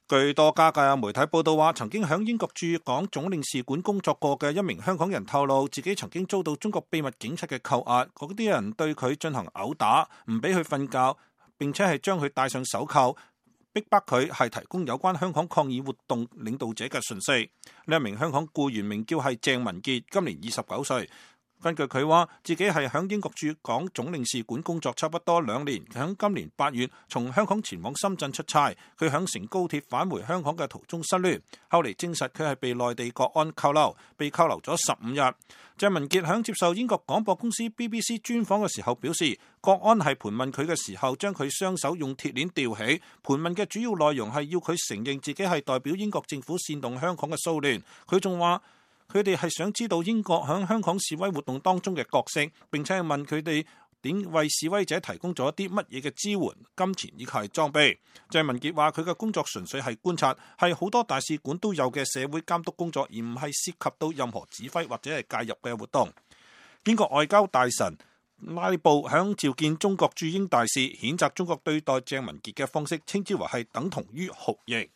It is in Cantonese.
據多家嘅媒體報道話，曾經喺英國駐港總領事館工作過嘅一名香港人透露，自己曾經遭到中國秘密警察嘅扣押，嗰啲人對佢進行毆打，唔俾佢瞓覺，並且係將佢戴上手銬，逼迫佢係提供有關香港抗議活動領導者嘅訊息。呢一名香港僱員名叫係鄭文傑，今年29歲。根據佢話，自己係喺英國駐港總領事館工作差不多2年，喺今年8月從香港前往深圳出差，佢喺乘高鐵返回香港嘅途中失聯，後嚟證實佢係被內地國安扣留，被扣留咗15日。鄭文傑喺接受英國廣播公司 BBC 專訪嘅時候表示，國安係盤問佢嘅時候，將佢雙手用鐵鏈吊起，盤問嘅主要內容係要佢承認自己係代表英國政府煽動香港嘅騷亂。佢仲話，佢哋係想知道英國喺香港示威活動當中嘅角色，並且係問佢哋點為示威者提供咗啲乜嘢嘅支援、金錢以及係裝備。鄭文傑話：佢嘅工作純粹係觀察，係好多大使館都有嘅社會監督工作，而唔係涉及到任何指揮或者係介入嘅活動。英國外交大臣拉布響召見中國駐英大使，譴責中國對待鄭文傑嘅方式，稱之為係等同於酷刑。